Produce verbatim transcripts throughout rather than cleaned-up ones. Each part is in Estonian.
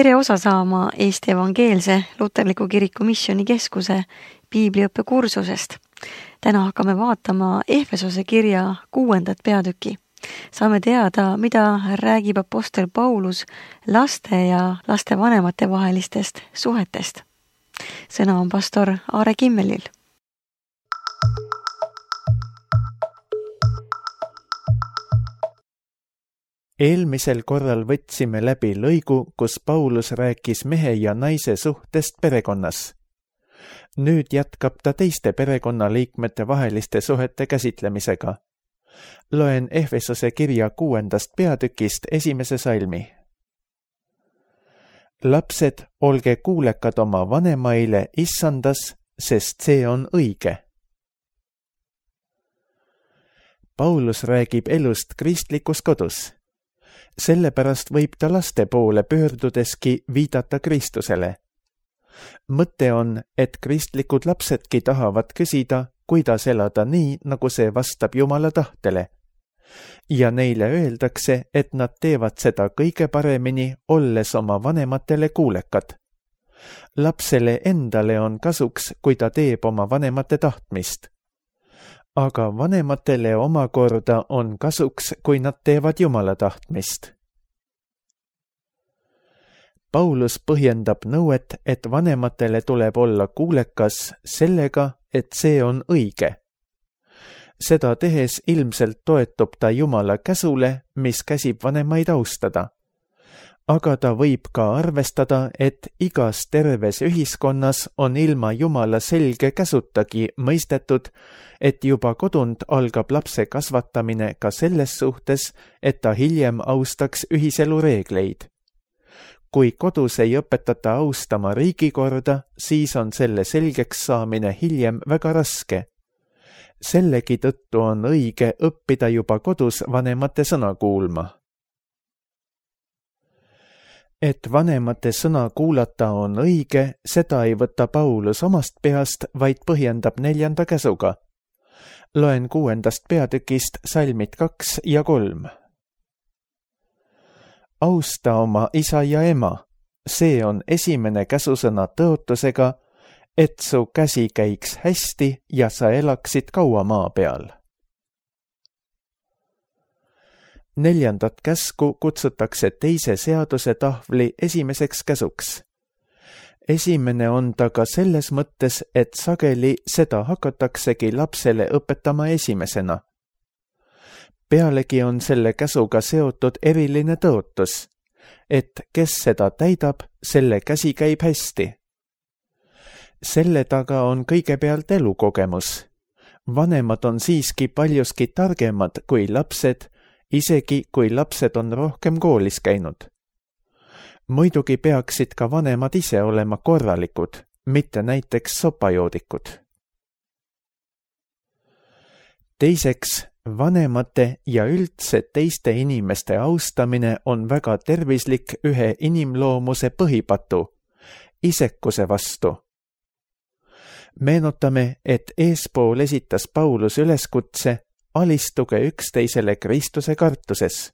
Tere osa saama Eesti Evangeelse Luterliku Kiriku Missioni Keskuse piibliõppe kursusest. Täna hakkame vaatama Efesose kirja kuuendat peatüki. Saame teada, mida räägib apostel Paulus laste ja laste vanemate vahelistest suhetest. Sõna on pastor Aare Kimmelil. Eelmisel korral võtsime läbi lõigu, kus Paulus rääkis mehe ja naise suhtest perekonnas. Nüüd jätkab ta teiste perekonnaliikmete vaheliste suhete käsitlemisega. Loen Efesose kirja kuuendast peatükist esimese salmi. Lapsed, olge kuulekad oma vanemaile issandas, sest see on õige. Paulus räägib elust kristlikus kodus. Sellepärast võib ta laste poole pöördudeski viidata Kristusele. Mõte on, et kristlikud lapsedki tahavad küsida, kuidas elada nii, nagu see vastab Jumala tahtele. Ja neile öeldakse, et nad teevad seda kõige paremini, olles oma vanematele kuulekad. Lapsele endale on kasuks, kui ta teeb oma vanemate tahtmist. Aga vanematele omakorda on kasuks, kui nad teevad Jumala tahtmist. Paulus põhjendab nõuet, et vanematele tuleb olla kuulekas sellega, et see on õige. Seda tehes ilmselt toetub ta Jumala käsule, mis käsib vanemaid austada. Aga ta võib ka arvestada, et igas terves ühiskonnas on ilma Jumala selge käsutagi mõistetud, et juba kodunt algab lapse kasvatamine ka selles suhtes, et ta hiljem austaks ühiselu reegleid. Kui kodus ei õpetata austama riigikorda, siis on selle selgeks saamine hiljem väga raske. Sellegi tõttu on õige õppida juba kodus vanemate sõna kuulma. Et vanemate sõna kuulata on õige, seda ei võta Paulus omast peast, vaid põhjendab neljanda käsuga. Loen kuuendast peatükist salmid kaks ja kolm. Austa oma isa ja ema, see on esimene käsusõna tõotusega, et su käsi käiks hästi ja sa elaksid kaua maa peal. Neljandat käsku kutsutakse teise seaduse tahvli esimeseks käsuks. Esimene on ta ka selles mõttes, et sageli seda hakataksegi lapsele õpetama esimesena. Pealegi on selle käsuga seotud eriline tõotus, et kes seda täidab, selle käsi käib hästi. Selle taga on kõigepealt elukogemus. Vanemad on siiski paljuski targemad kui lapsed, isegi kui lapsed on rohkem koolis käinud. Muidugi peaksid ka vanemad ise olema korralikud, mitte näiteks sopajoodikud. Teiseks, vanemate ja üldse teiste inimeste austamine on väga tervislik ühe inimloomuse põhipatu, isekuse vastu. Meenutame, et eespool esitas Paulus üleskutse alistuge üksteisele Kristuse kartuses.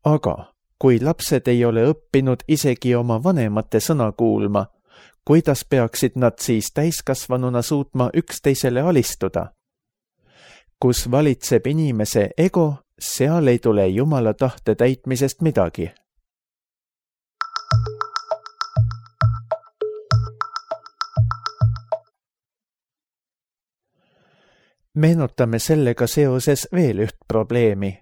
Aga kui lapsed ei ole õppinud isegi oma vanemate sõna kuulma, kuidas peaksid nad siis täiskasvanuna suutma üksteisele alistuda? Kus valitseb inimese ego, seal ei tule Jumala tahte täitmisest midagi. Meenutame sellega seoses veel üht probleemi.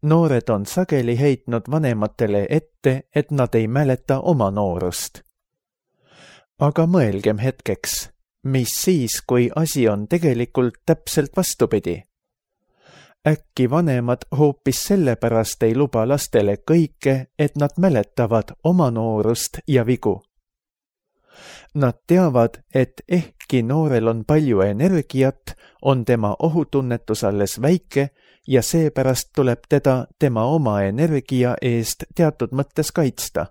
Noored on sageli heitnud vanematele ette, et nad ei mäleta oma noorust. Aga mõelgem hetkeks, mis siis, kui asi on tegelikult täpselt vastupidi? Äkki vanemad hoopis sellepärast ei luba lastele kõike, et nad mäletavad oma noorust ja vigu. Nad teavad, et ehkki noorel on palju energiat, on tema ohutunnetus alles väike ja seepärast tuleb teda tema oma energia eest teatud mõttes kaitsta.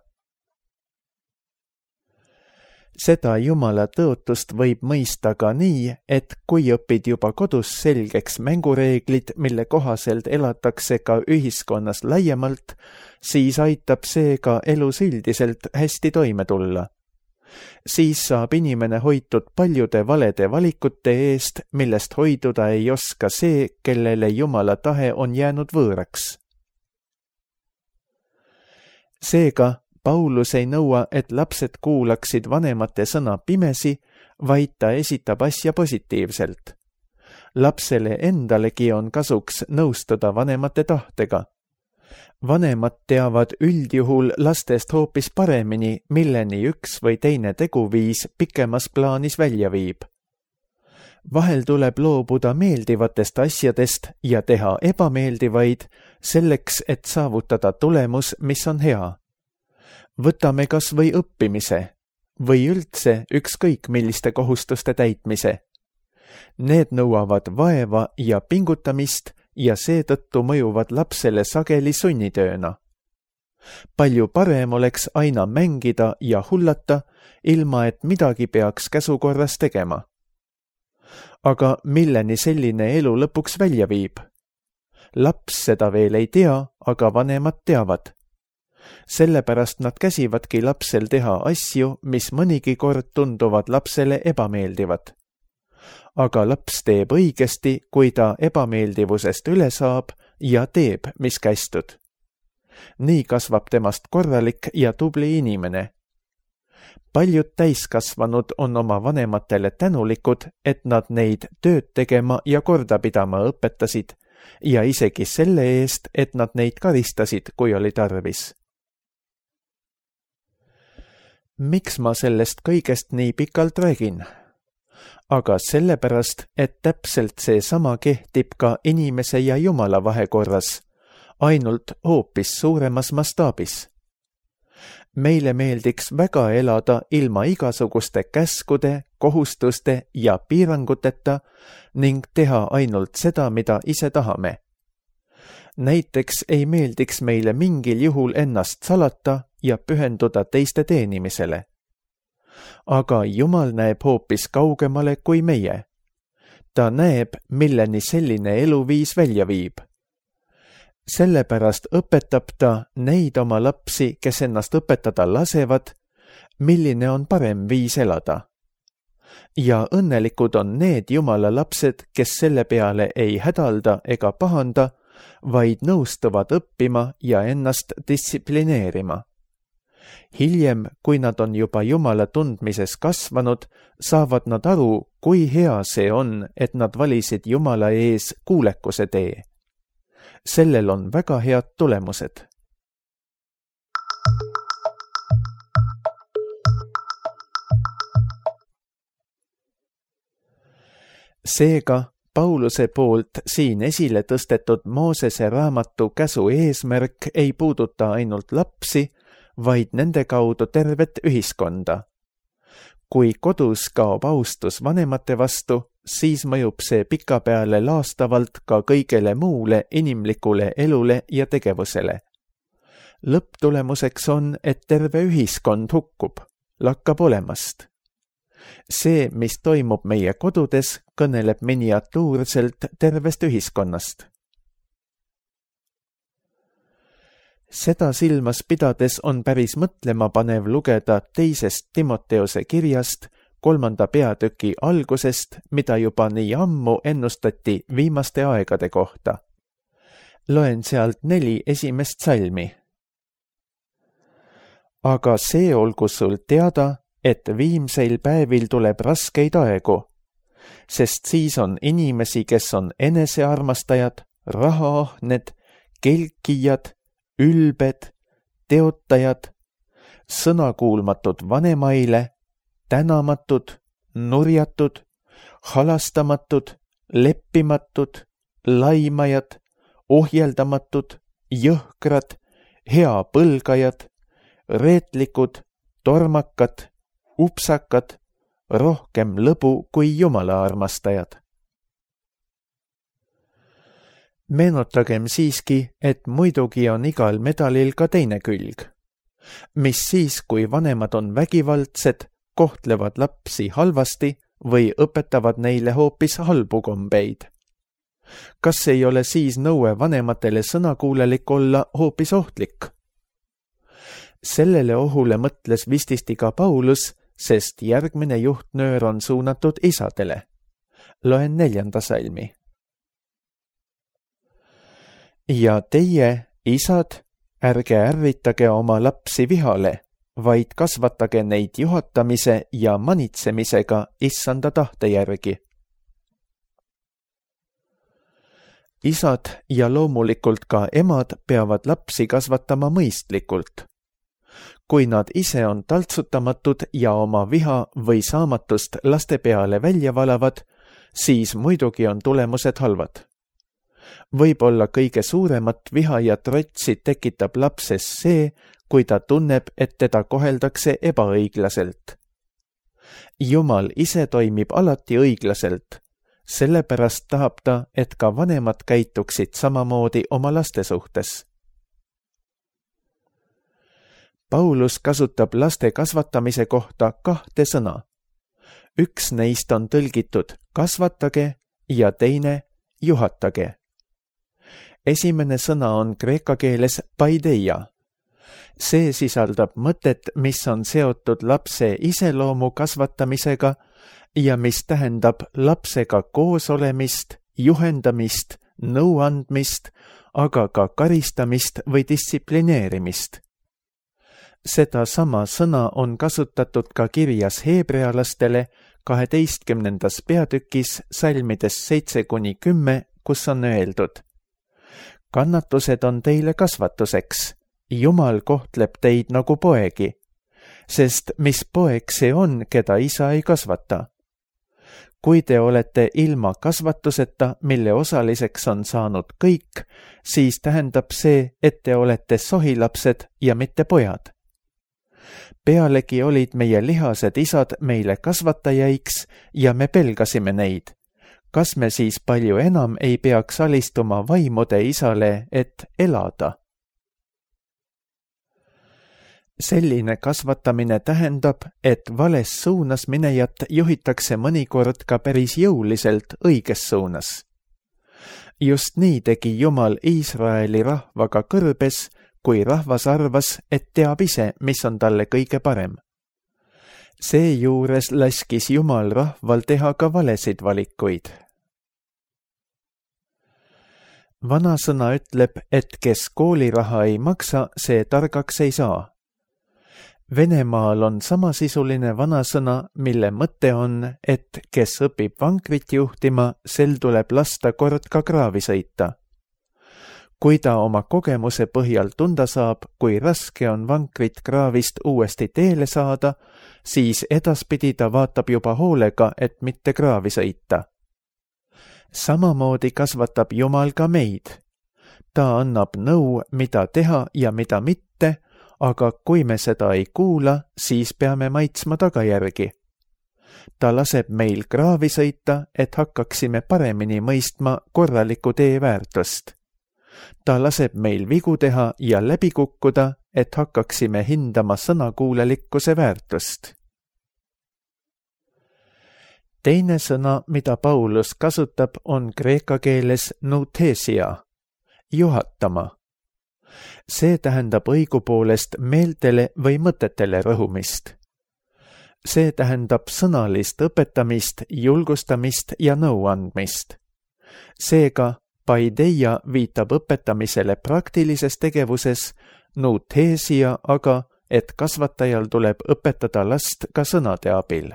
Seda Jumala tõotust võib mõista ka nii, et kui õpid juba kodus selgeks mängureeglid, mille kohaselt elatakse ka ühiskonnas laiemalt, siis aitab see ka elus üldiselt hästi toime tulla. Siis saab inimene hoitud paljude valede valikute eest, millest hoiduda ei oska see, kellele Jumala tahe on jäänud võõraks. Seega, Paulus ei nõua, et lapsed kuulaksid vanemate sõna pimesi, vaid ta esitab asja positiivselt. Lapsele endalegi on kasuks nõustuda vanemate tahtega. Vanemad teavad üldjuhul lastest hoopis paremini, milleni üks või teine teguviis pikemas plaanis välja viib. Vahel tuleb loobuda meeldivatest asjadest ja teha ebameeldivaid selleks, et saavutada tulemus, mis on hea. Võtame kas või õppimise või üldse ükskõik milliste kohustuste täitmise. Need nõuavad vaeva ja pingutamist ja seetõttu mõjuvad lapsele sageli sunnitööna. Palju parem oleks aina mängida ja hullata, ilma et midagi peaks käsukorras tegema. Aga milleni selline elu lõpuks välja viib? Laps seda veel ei tea, aga vanemad teavad. Sellepärast nad käsivadki lapsel teha asju, mis mõnigi kord tunduvad lapsele ebameeldivad. Aga laps teeb õigesti, kui ta ebameeldivusest üle saab ja teeb, mis kästud. Nii kasvab temast korralik ja tubli inimene. Paljud täiskasvanud on oma vanematele tänulikud, et nad neid tööd tegema ja korda pidama õpetasid ja isegi selle eest, et nad neid karistasid, kui oli tarvis. Miks ma sellest kõigest nii pikalt räägin? Aga sellepärast, et täpselt see sama kehtib ka inimese ja Jumala vahekorras, ainult hoopis suuremas mastaabis. Meile meeldiks väga elada ilma igasuguste käskude, kohustuste ja piiranguteta ning teha ainult seda, mida ise tahame. Näiteks ei meeldiks meile mingil juhul ennast salata ja pühenduda teiste teenimisele. Aga Jumal näeb hoopis kaugemale kui meie. Ta näeb, milleni selline eluviis välja viib. Sellepärast õpetab ta neid oma lapsi, kes ennast õpetada lasevad, milline on parem viis elada. Ja õnnelikud on need Jumala lapsed, kes selle peale ei hädalda ega pahanda, vaid nõustuvad õppima ja ennast distsiplineerima. Hiljem, kui nad on juba Jumala tundmises kasvanud, saavad nad aru, kui hea see on, et nad valisid Jumala ees kuulekuse tee. Sellel on väga head tulemused. Seega, Pauluse poolt siin esile tõstetud Moosese raamatu käsu eesmärk ei puuduta ainult lapsi, vaid nende kaudu tervet ühiskonda. Kui kodus kaob austus vanemate vastu, siis mõjub see pikapeale laastavalt ka kõigele muule inimlikule elule ja tegevusele. Lõpptulemuseks on, et terve ühiskond hukkub, lakkab olemast. See, mis toimub meie kodudes, kõneleb miniatuurselt tervest ühiskonnast. Seda silmas pidades on päris mõtlema panev lugeda teisest Timoteose kirjast, kolmanda peatüki algusest, mida juba nii ammu ennustati viimaste aegade kohta. Loen sealt neli esimest salmi. Aga see olgu sul teada, et viimseil päevil tuleb raskeid aegu, sest siis on inimesi, kes on enesearmastajad, rahaahned, kelkijad, ülbed, teotajad, sõnakuulmatud vanemaile, tänamatud, nurjatud, halastamatud, leppimatud, laimajad, ohjeldamatud, jõhkrad, heapõlgajad, reetlikud, tormakad, upsakad, rohkem lõbu kui Jumala armastajad. Meenutagem siiski, et muidugi on igal medalil ka teine külg. Mis siis, kui vanemad on vägivaldsed, kohtlevad lapsi halvasti või õpetavad neile hoopis halbu kombeid. Kas ei ole siis nõue vanematele sõnakuulelik olla hoopis ohtlik? Sellele ohule mõtles vististi ka Paulus, sest järgmine juhtnöör on suunatud isadele. Loen neljanda salmi. Ja teie, isad, ärge ärritage oma lapsi vihale, vaid kasvatage neid juhatamise ja manitsemisega issanda tahte järgi. Isad ja loomulikult ka emad peavad lapsi kasvatama mõistlikult. Kui nad ise on taltsutamatud ja oma viha või saamatust laste peale välja valavad, siis muidugi on tulemused halvad. Võib-olla kõige suuremat viha ja trotsi tekitab lapses see, kui ta tunneb, et teda koheldakse ebaõiglaselt. Jumal ise toimib alati õiglaselt, sellepärast tahab ta, et ka vanemad käituksid samamoodi oma laste suhtes. Paulus kasutab laste kasvatamise kohta kahte sõna. Üks neist on tõlgitud kasvatage ja teine juhatage. Esimene sõna on kreeka keeles paideia. See sisaldab mõtet, mis on seotud lapse iseloomu kasvatamisega ja mis tähendab lapsega koos olemist, juhendamist, nõu andmist, aga ka karistamist või distsiplineerimist. Seda sama sõna on kasutatud ka kirjas heebrealastele kaheteistkümnendas peatükis salmides seitse kuni kümme, kus on öeldud: Kannatused on teile kasvatuseks, Jumal kohtleb teid nagu poegi, sest mis poeg see on, keda isa ei kasvata? Kui te olete ilma kasvatuseta, mille osaliseks on saanud kõik, siis tähendab see, et te olete sohilapsed ja mitte pojad. Pealegi olid meie lihased isad meile kasvatajaiks ja me pelgasime neid. Kas me siis palju enam ei peaks alistuma vaimude isale, et elada? Selline kasvatamine tähendab, et vales suunas minejat juhitakse mõnikord ka päris jõuliselt õiges suunas. Just nii tegi Jumal Iisraeli rahvaga kõrbes, kui rahvas arvas, et teab ise, mis on talle kõige parem. Seejuures laskis Jumal rahval teha ka valesid valikuid. Vanasõna ütleb, et kes kooliraha ei maksa, see targaks ei saa. Venemaal on samasisuline vanasõna, mille mõte on, et kes õpib vankrit juhtima, sel tuleb lasta kord ka kraavi sõita. Kui ta oma kogemuse põhjal tunda saab, kui raske on vankrit kraavist uuesti teele saada, siis edaspidi ta vaatab juba hoolega, et mitte kraavi sõita. Samamoodi kasvatab Jumal ka meid. Ta annab nõu, mida teha ja mida mitte, aga kui me seda ei kuula, siis peame maitsma tagajärgi. Ta laseb meil kraavi sõita, et hakkaksime paremini mõistma korraliku tee väärtust. Ta laseb meil vigu teha ja läbi kukkuda, et hakkaksime hindama sõnakuulelikkuse väärtust. Teine sõna, mida Paulus kasutab, on kreeka keeles nouthesia, juhatama. See tähendab õigupoolest meeltele või mõtetele rõhumist. See tähendab sõnalist õpetamist, julgustamist ja nõu andmist. Seega paideia viitab õpetamisele praktilises tegevuses, nouthesia aga, et kasvatajal tuleb õpetada last ka sõnade abil.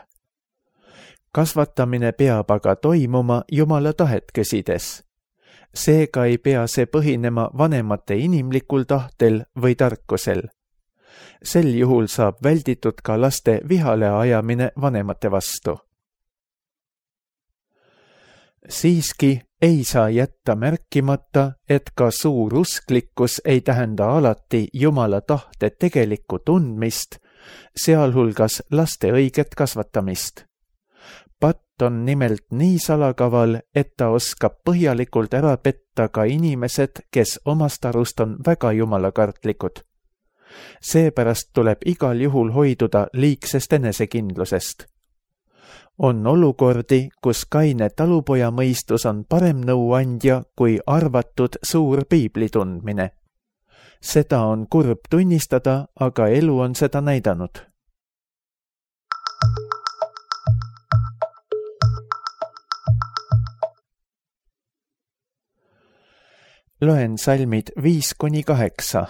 Kasvatamine peab aga toimuma Jumala tahet käsides. Seega ei pea see põhinema vanemate inimlikul tahtel või tarkusel. Sel juhul saab välditud ka laste vihale ajamine vanemate vastu. Siiski ei saa jätta märkimata, et ka suur usklikkus ei tähenda alati Jumala tahte tegelikku tundmist, sealhulgas laste õiget kasvatamist. Patt on nimelt nii salakaval, et ta oskab põhjalikult ära petta ka inimesed, kes omast arust on väga jumalakartlikud. Seepärast tuleb igal juhul hoiduda liigsest enesekindlusest. On olukordi, kus kaine talupoja mõistus on parem nõuandja kui arvatud suur piibli tundmine. Seda on kurb tunnistada, aga elu on seda näidanud. Loen salmid viis kuni kaheksa.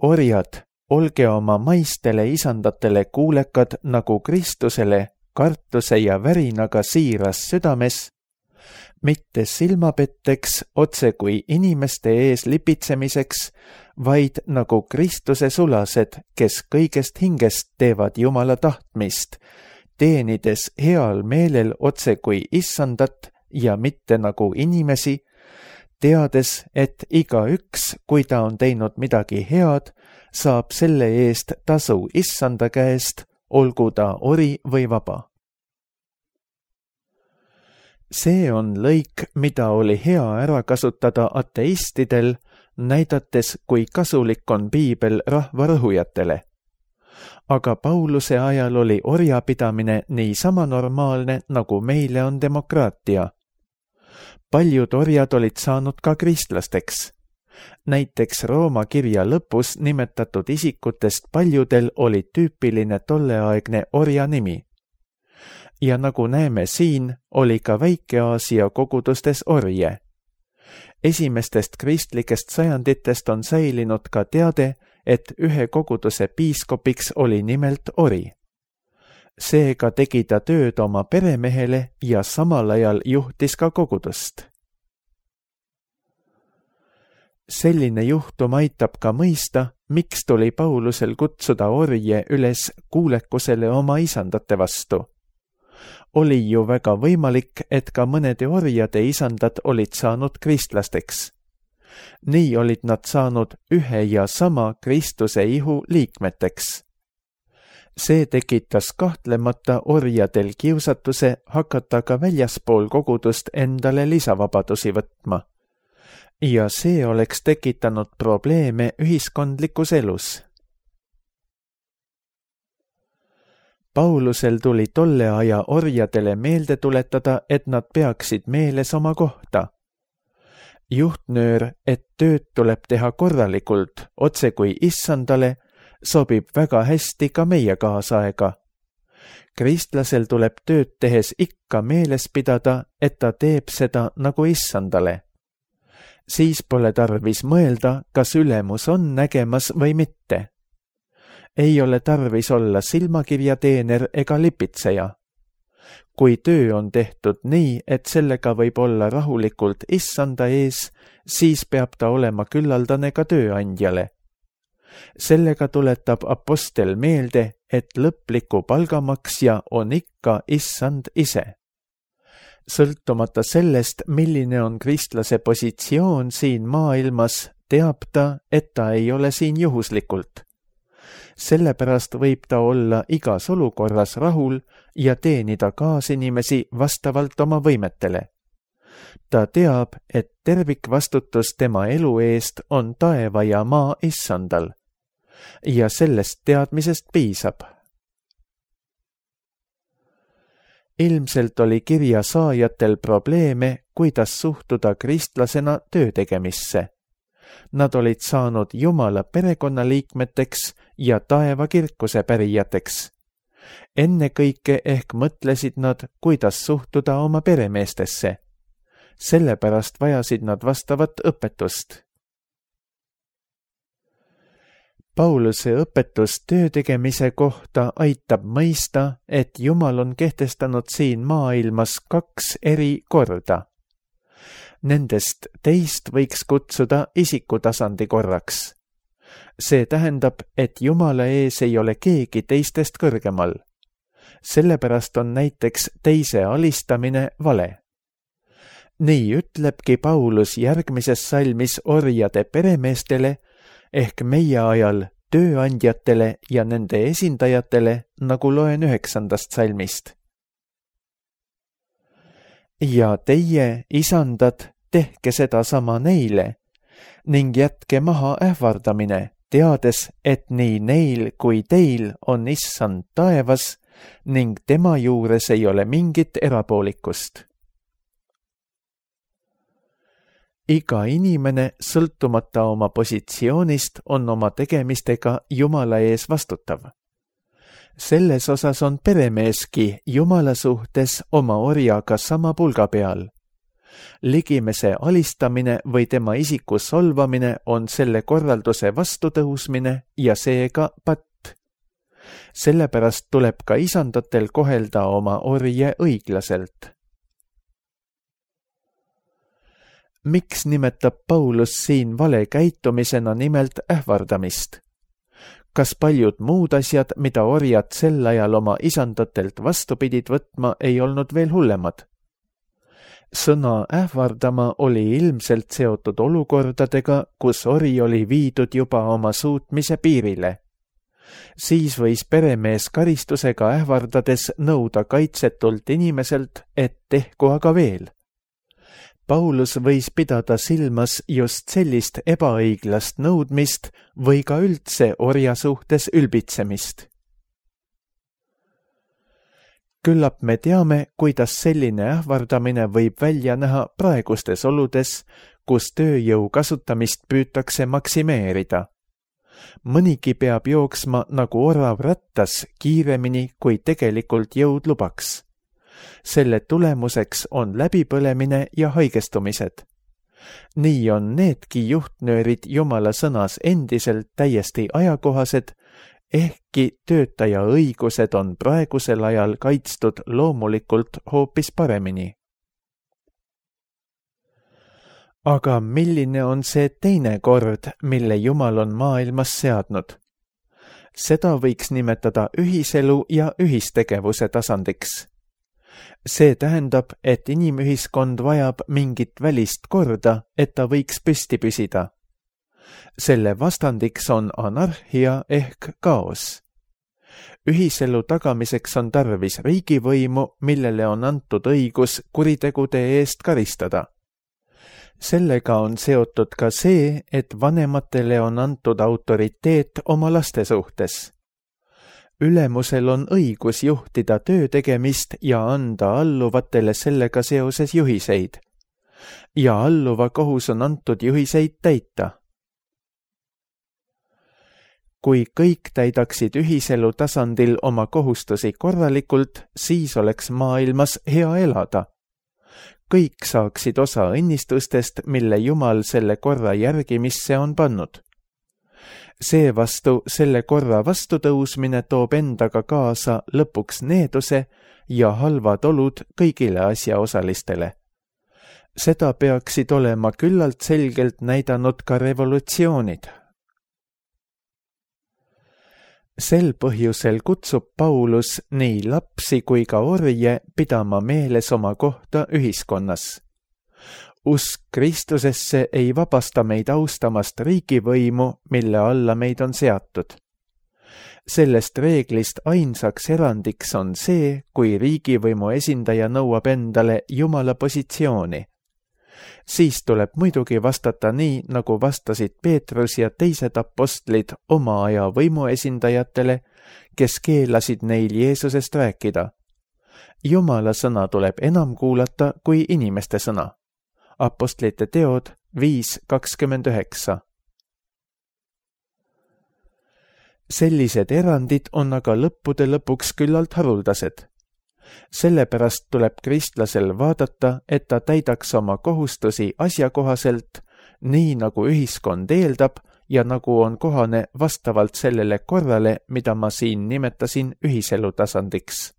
Orjad, olge oma maistele isandatele kuulekad nagu Kristusele kartuse ja värinaga siiras südames, mitte silmapetteks otse kui inimeste ees lipitsemiseks, vaid nagu Kristuse sulased, kes kõigest hingest teevad Jumala tahtmist, teenides heal meelel otse kui issandat ja mitte nagu inimesi, teades, et igaüks, kui ta on teinud midagi head, saab selle eest tasu issanda käest, olgu ta ori või vaba. See on lõik, mida oli hea ära kasutada ateistidel, näidates, kui kasulik on piibel rahvarõhujatele. Aga Pauluse ajal oli orjapidamine niisama normaalne, nagu meile on demokraatia. Paljud orjad olid saanud ka kristlasteks. Näiteks Rooma kirja lõpus nimetatud isikutest paljudel oli tüüpiline tolleaegne orja nimi. Ja nagu näeme siin, oli ka Väike-Aasia kogudustes orje. Esimestest kristlikest sajanditest on säilinud ka teade, et ühe koguduse piiskopiks oli nimelt ori. Seega tegi ta tööd oma peremehele ja samal ajal juhtis ka kogudust. Selline juhtum aitab ka mõista, miks tuli Paulusel kutsuda orje üles kuulekusele oma isandate vastu. Oli ju väga võimalik, et ka mõnede orjade isandad olid saanud kristlasteks. Nii olid nad saanud ühe ja sama Kristuse ihu liikmeteks. See tekitas kahtlemata orjadel kiusatuse hakata ka väljaspool kogudust endale lisavabadusi võtma. Ja see oleks tekitanud probleeme ühiskondlikus elus. Paulusel tuli tolle aja orjadele meelde tuletada, et nad peaksid meeles oma kohta. Juhtnöör, et tööd tuleb teha korralikult, otse kui issandale, sobib väga hästi ka meie kaasaega. Kristlasel tuleb tööd tehes ikka meeles pidada, et ta teeb seda nagu issandale. Siis pole tarvis mõelda, kas ülemus on nägemas või mitte. Ei ole tarvis olla silmakirjateener ega lipitseja. Kui töö on tehtud nii, et sellega võib olla rahulikult issanda ees, siis peab ta olema küllaldane ka tööandjale. Sellega tuletab apostel meelde, et lõpliku palgamaksja on ikka issand ise. Sõltumata sellest, milline on kristlase positsioon siin maailmas, teab ta, et ta ei ole siin juhuslikult. Sellepärast võib ta olla igas olukorras rahul ja teenida kaasinimesi vastavalt oma võimetele. Ta teab, et tervikvastutus tema elu eest on taeva ja maa issandal. Ja sellest teadmisest piisab. Ilmselt oli kirja saajatel probleeme, kuidas suhtuda kristlasena töötegemisse. Nad olid saanud Jumala perekonnaliikmeteks ja taeva kirkuse pärijateks. Ennekõike ehk mõtlesid nad, kuidas suhtuda oma peremeestesse. Sellepärast vajasid nad vastavat õpetust. Pauluse õpetus töötegemise kohta aitab mõista, et Jumal on kehtestanud siin maailmas kaks eri korda. Nendest teist võiks kutsuda isikutasandi korraks. See tähendab, et Jumala ees ei ole keegi teistest kõrgemal. Sellepärast on näiteks teise alistamine vale. Nii ütlebki Paulus järgmises salmis orjade peremeestele ehk meie ajal tööandjatele ja nende esindajatele, nagu loen üheksandast salmist. Ja teie, isandad, tehke seda sama neile, ning jätke maha ähvardamine, teades, et nii neil kui teil on issand taevas ning tema juures ei ole mingit erapoolikust. Iga inimene, sõltumata oma positsioonist, on oma tegemistega Jumala ees vastutav. Selles osas on peremeeski Jumala suhtes oma orjaga sama pulga peal. Ligimese alistamine või tema isiku solvamine on selle korralduse vastutõusmine ja seega patt. Sellepärast tuleb ka isandatel kohelda oma orje õiglaselt. Miks nimetab Paulus siin vale käitumisena nimelt ähvardamist? Kas paljud muud asjad, mida orjad sel ajal oma isandatelt vastu pidid võtma, ei olnud veel hullemad? Sõna ähvardama oli ilmselt seotud olukordadega, kus ori oli viidud juba oma suutmise piirile. Siis võis peremees karistusega ähvardades nõuda kaitsetult inimeselt, et tehku aga veel. Paulus võis pidada silmas just sellist ebaõiglast nõudmist või ka üldse orja suhtes ülbitsemist. Küllap me teame, kuidas selline ähvardamine võib välja näha praegustes oludes, kus tööjõu kasutamist püütakse maksimeerida. Mõnigi peab jooksma nagu orav rattas kiiremini, kui tegelikult jõud lubaks. Selle tulemuseks on läbipõlemine ja haigestumised. Nii on needki juhtnöörid Jumala sõnas endiselt täiesti ajakohased, ehkki töötaja õigused on praegusel ajal kaitstud loomulikult hoopis paremini. Aga milline on see teine kord, mille Jumal on maailmas seadnud? Seda võiks nimetada ühiselu ja ühistegevuse tasandiks. See tähendab, et inimühiskond vajab mingit välist korda, et ta võiks püsti püsida. Selle vastandiks on anarhia ehk kaos. Ühiselu tagamiseks on tarvis riigivõimu, millele on antud õigus kuritegude eest karistada. Sellega on seotud ka see, et vanematele on antud autoriteet oma laste suhtes. Ülemusel on õigus juhtida töö tegemist ja anda alluvatele sellega seoses juhiseid. Ja alluva kohus on antud juhiseid täita. Kui kõik täidaksid ühiselu tasandil oma kohustusi korralikult, siis oleks maailmas hea elada. Kõik saaksid osa õnnistustest, mille Jumal selle korra järgimisse on pannud. Seevastu selle korra vastutõusmine toob endaga kaasa lõpuks needuse ja halvad olud kõigile asjaosalistele. Seda peaksid olema küllalt selgelt näidanud ka revolutsioonid. Sel põhjusel kutsub Paulus nii lapsi kui ka orje pidama meeles oma kohta ühiskonnas. Usk Kristusesse ei vabasta meid austamast riigivõimu, mille alla meid on seatud. Sellest reeglist ainsaks erandiks on see, kui riigivõimu esindaja nõuab endale Jumala positsiooni. Siis tuleb muidugi vastata nii, nagu vastasid Peetrus ja teised apostlid oma aja võimuesindajatele, kes keelasid neil Jeesusest rääkida. Jumala sõna tuleb enam kuulata kui inimeste sõna. Apostlite teod viis kakskümmend üheksa. Sellised erandid on aga lõppude lõpuks küllalt haruldased. Sellepärast tuleb kristlasel vaadata, et ta täidaks oma kohustusi asjakohaselt, nii nagu ühiskond eeldab ja nagu on kohane vastavalt sellele korrale, mida ma siin nimetasin ühiselu tasandiks.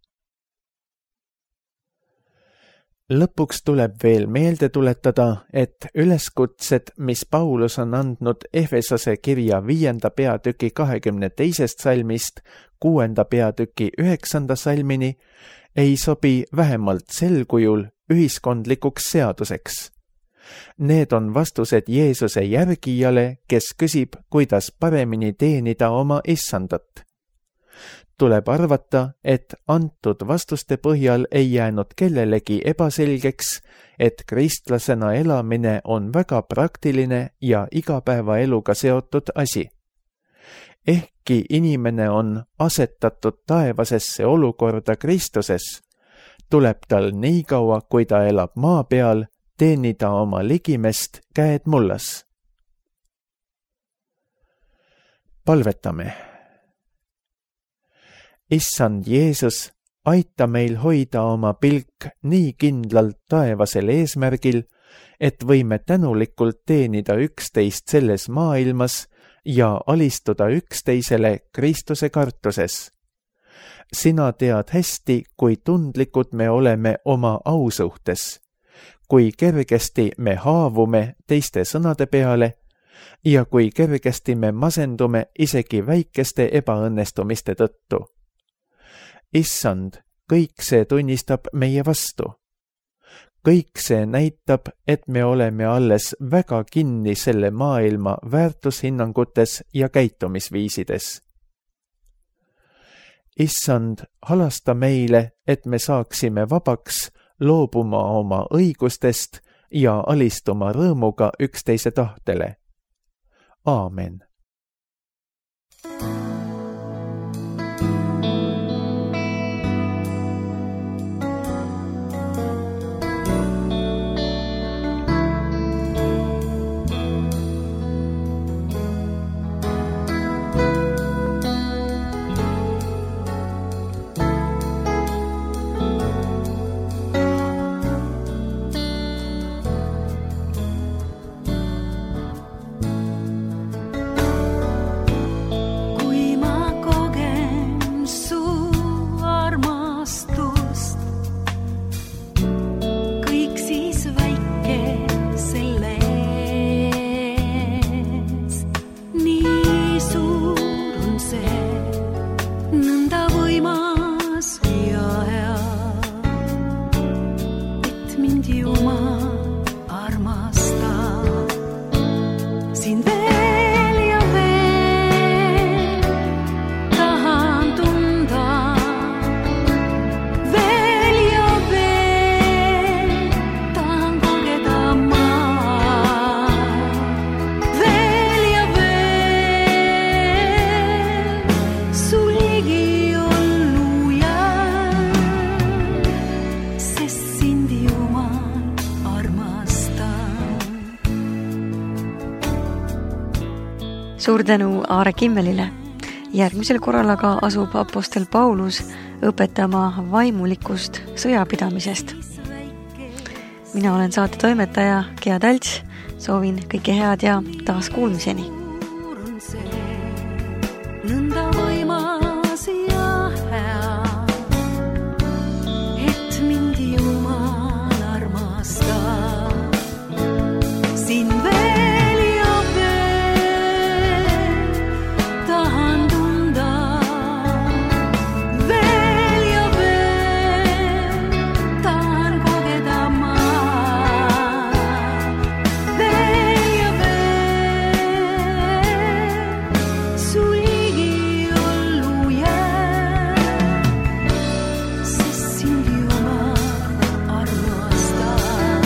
Lõpuks tuleb veel meelde tuletada, et üleskutsed, mis Paulus on andnud Efesose kirja viienda peatüki kahekümne teisest salmist kuuenda peatüki üheksanda salmini, ei sobi vähemalt sel kujul ühiskondlikuks seaduseks. Need on vastused Jeesuse järgijale, kes küsib, kuidas paremini teenida oma issandat. tuleb arvata, et antud vastuste põhjal ei jäänud kellelegi ebaselgeks, et kristlasena elamine on väga praktiline ja igapäevaeluga seotud asi. Ehkki inimene on asetatud taevasesse olukorda Kristuses, tuleb tal nii kaua, kui ta elab maa peal, teenida oma ligimest käed mullas. Palvetame. Issand Jeesus, aita meil hoida oma pilk nii kindlalt taevasel eesmärgil, et võime tänulikult teenida üksteist selles maailmas ja alistuda üksteisele Kristuse kartuses. Sina tead hästi, kui tundlikud me oleme oma au suhtes, kui kergesti me haavume teiste sõnade peale ja kui kergesti me masendume isegi väikeste ebaõnnestumiste tõttu. Issand, kõik see tunnistab meie vastu. Kõik see näitab, et me oleme alles väga kinni selle maailma väärtushinnangutes ja käitumisviisides. Issand, halasta meile, et me saaksime vabaks loobuma oma õigustest ja alistuma rõõmuga üksteise tahtele. Aamen. Suur tänu Aare Kimmelile. Järgmisel korral aga asub apostel Paulus õpetama vaimulikust sõjapidamisest. Mina olen saate toimetaja Gea Talts, soovin kõike head ja taas kuulmiseni. Nõnda võimas ja hea, et mind Jumal armastab. Siin veel ja veel tahan tunda, veel ja veel tahan kogeda ma. Veel ja veel su ligi ollu jää, sest sind Jumal armastab.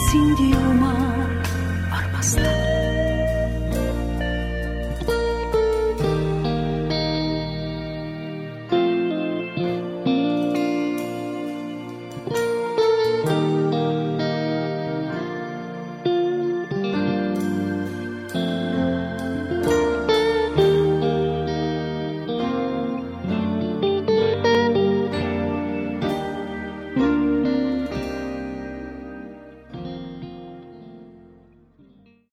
Sind you my